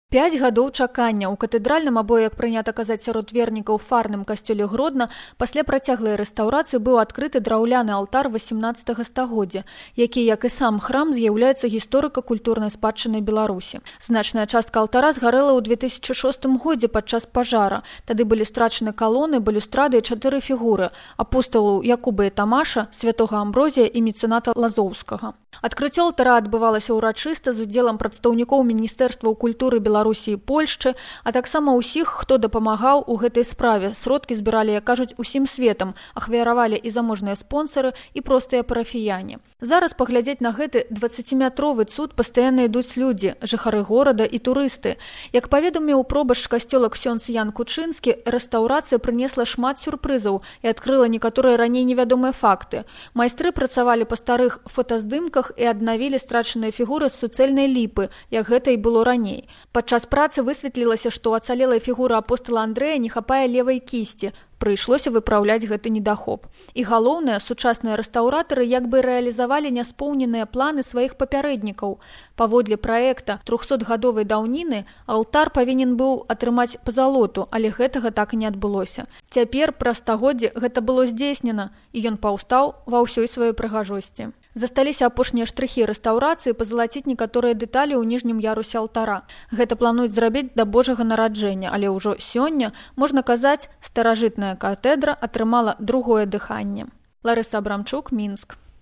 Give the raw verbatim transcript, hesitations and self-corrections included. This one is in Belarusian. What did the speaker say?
Пяць гадоў чакання ў катэдральным або, як прынята казаць сярод вернікаў, фарным касцёле Гродна пасля працяглай рэстаўрацыі быў адкрыты драўляны алтар васямнаццатага стагоддзя, які, як і сам храм, з'яўляецца гісторыка-культурнай спадчынай Беларусі. Значная частка алтара згарэла ў две тысячы шостым годзе падчас пажара. Тады былі страчаны калоны, балюстрады і чатыры фігуры – апосталу Якуба і Тамаша, святога Амброзія і мецэната Лазоўскага. Адкрыццё алтара адбывалася ўрачыста з удзелам прадстаўнікоў Міністэрстваў культуры Беларусі і Польшчы, а таксама ўсіх, хто дапамагаў у гэтай справе. Сродкі збіралі, як кажуць, усім светам, ахвяравалі і заможныя спонсары, і простыя парафіяне. Зараз паглядзець на гэты дваццаціметровы цуд пастаянна ідуць людзі, жыхары горада і турысты. Як паведаміў пробашч касцёла ксёндз Ян Кучынскі, рэстаўрацыя прынесла шмат сюрпрызаў і адкрыла некаторыя раней невядомыя факты. Майстры працавалі па старых фотаздымках і аднавілі страчаныя фігуры з суцэльнай ліпы, як гэта і было раней. Падчас працы высветлілася, што ў ацалелай фігуры апостала Андрэя не хапае левай кісці. Прыйшлося выпраўляць гэты недахоп. І галоўнае, сучасныя рэстаўратары як бы рэалізавалі няспоўненыя планы сваіх папярэднікаў. Паводле праекта трохсотгадовай даўніны алтар павінен быў атрымаць пазалоту, але гэтага так і не адбылося. Цяпер, праз стагоддзе, гэта было здзейснена, і ён паўстаў ва ўсёй сваёй прыгажосці. Засталіся апошнія штрыхі рэстаўрацыі пазалаціць некаторыя дэталі ў ніжнім ярусе алтара. Гэта плануюць зрабіць да Божага нараджэння, але ўжо сёння, можна казаць, старажытная катэдра атрымала другое дыханне. Ларыса Абрамчук, Мінск.